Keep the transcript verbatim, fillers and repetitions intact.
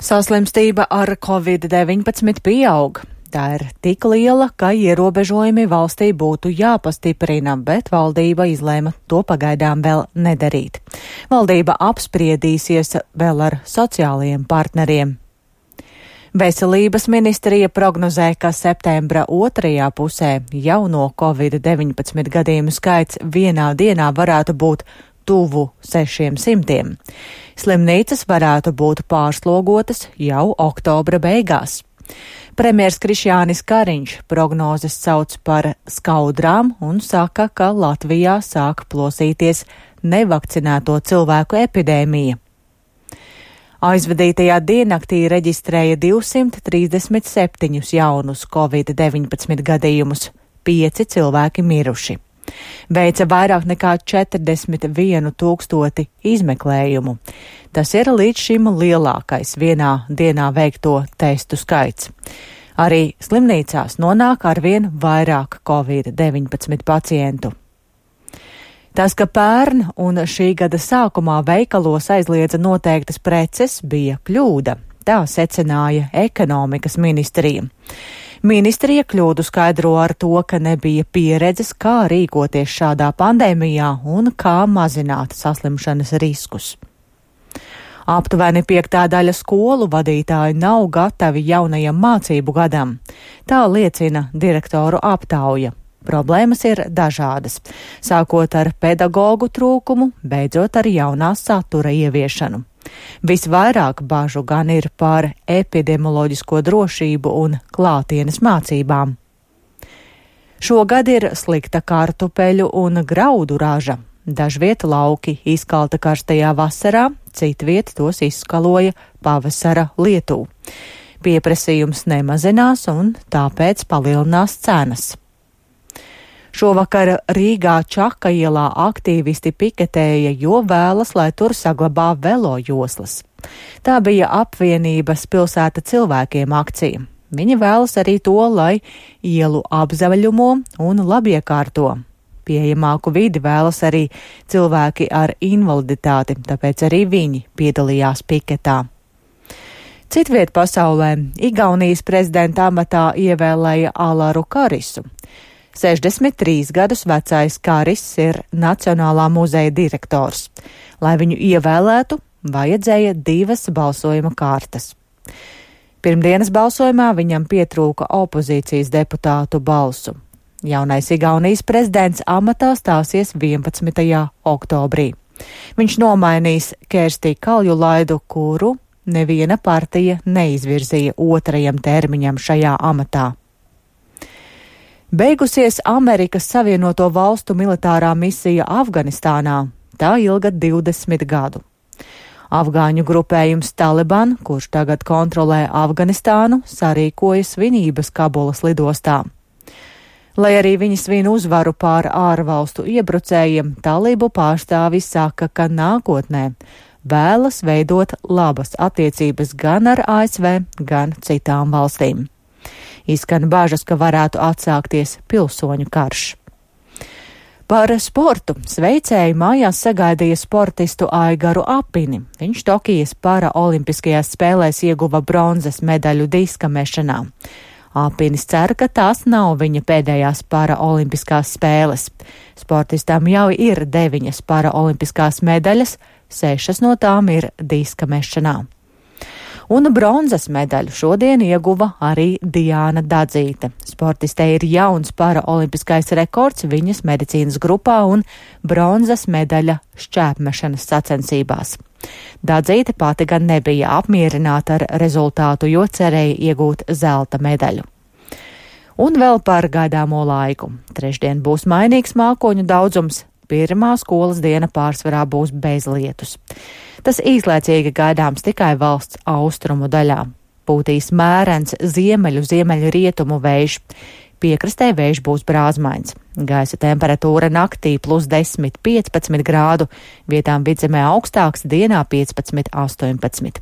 Saslimstība ar covid deviņpadsmit pieaug. Tā ir tik liela, ka ierobežojumi valstī būtu jāpastiprina, bet valdība izlēma to pagaidām vēl nedarīt. Valdība apspriedīsies vēl ar sociālajiem partneriem. Veselības ministrija prognozē, ka septembra otrajā pusē jauno covid deviņpadsmit gadījumu skaits vienā dienā varētu būt tuvu sešiem simtiem. Slimnīcas varētu būt pārslogotas jau oktobra beigās. Premjers Krišjānis Kariņš prognozes sauc par skaudrām un saka, ka Latvijā sāk plosīties nevakcinēto cilvēku epidēmija. Aizvadītajā diennaktī reģistrēja divsimt trīsdesmit septiņus jaunus covid deviņpadsmit gadījumus, pieci cilvēki miruši. Veica vairāk nekā četrdesmit vienu tūkstoti izmeklējumu. Tas ir līdz šim lielākais vienā dienā veikto testu skaits. Arī slimnīcās nonāk arvien vairāk covid deviņpadsmit pacientu. Tas, ka pērn un šī gada sākumā veikalos aizliedza noteiktas preces, bija kļūda. Tā secināja ekonomikas ministrija. Ministrija kļūdu skaidro ar to, ka nebija pieredzes, kā rīkoties šādā pandēmijā un kā mazināt saslimšanas riskus. Aptuveni piektā daļa skolu vadītāji nav gatavi jaunajam mācību gadam. Tā liecina direktoru aptauja. Problēmas ir dažādas, sākot ar pedagogu trūkumu, beidzot ar jaunā satura ieviešanu. Visvairāk bažu gan ir par epidemioloģisko drošību un klātienes mācībām. Šogad ir slikta kartupeļu un graudu raža. Dažviet lauki izkalta karstajā vasarā, citviet tos izskaloja pavasara lietū. Pieprasījums nemazinās un tāpēc palielinās cenas. Šovakar Rīgā Čaka ielā aktīvisti piketēja, jo vēlas, lai tur saglabā velo joslas. Tā bija apvienības Pilsēta cilvēkiem akcija. Viņi vēlas arī to, lai ielu apzaļumo un labiekārto. Pieejamāku vidi vēlas arī cilvēki ar invaliditāti, tāpēc arī viņi piedalījās piketā. Citviet pasaulē Igaunijas prezidenta amatā ievēlēja Alaru Karisu. sešdesmit trīs gadus vecais Karis ir Nacionālā muzeja direktors. Lai viņu ievēlētu, vajadzēja divas balsojuma kārtas. Pirmdienas balsojumā viņam pietrūka opozīcijas deputātu balsu. Jaunais Igaunijas prezidents amatā stāsies vienpadsmitajā oktobrī. Viņš nomainīs Kerstī Kaljulaidu, kuru neviena partija neizvirzīja otrajam termiņam šajā amatā. Beigusies Amerikas Savienoto Valstu militārā misija Afganistānā. Tā ilga divdesmit gadu. Afgāņu grupējums Taliban, kurš tagad kontrolē Afganistānu, sarīkoja svinības Kabulas lidostā. Lai arī viņi svin uzvaru pār ārvalstu iebrucējiem, talību pārstāvis saka, ka nākotnē vēlas veidot labas attiecības gan ar A S V, gan citām valstīm. Izskan bažas, ka varētu atsākties pilsoņu karš. Par sportu sveicēji mājās sagaidīja sportistu Aigaru Apini. Viņš Tokijas paraolimpiskajās spēlēs ieguva bronzas medaļu diska mešanā. Apinis cer, ka tās nav viņa pēdējās paraolimpiskās spēles. Sportistam jau ir deviņas paraolimpiskās medaļas, sešas no tām ir diska mešanā. Un bronzas medaļu šodien ieguva arī Diāna Dadzīte. Sportistei ir jauns paraolimpiskais rekords viņas medicīnas grupā un bronzas medaļa šķēpmešanas sacensībās. Dadzīte pati gan nebija apmierināta ar rezultātu, jo cerēja iegūt zelta medaļu. Un vēl par gaidāmo laiku. Trešdien būs mainīgs mākoņu daudzums. Pirmā skolas diena pārsvarā būs bez lietus. Tas īslaicīgi gaidāms tikai valsts austrumu daļā. Pūtīs mērens ziemeļu ziemeļu rietumu vējš. Piekrastē vējš būs brāzmains. Gaisa temperatūra naktī plus desmit piecpadsmit grādu, vietām vidzemē augstāks, dienā piecpadsmit astoņpadsmit.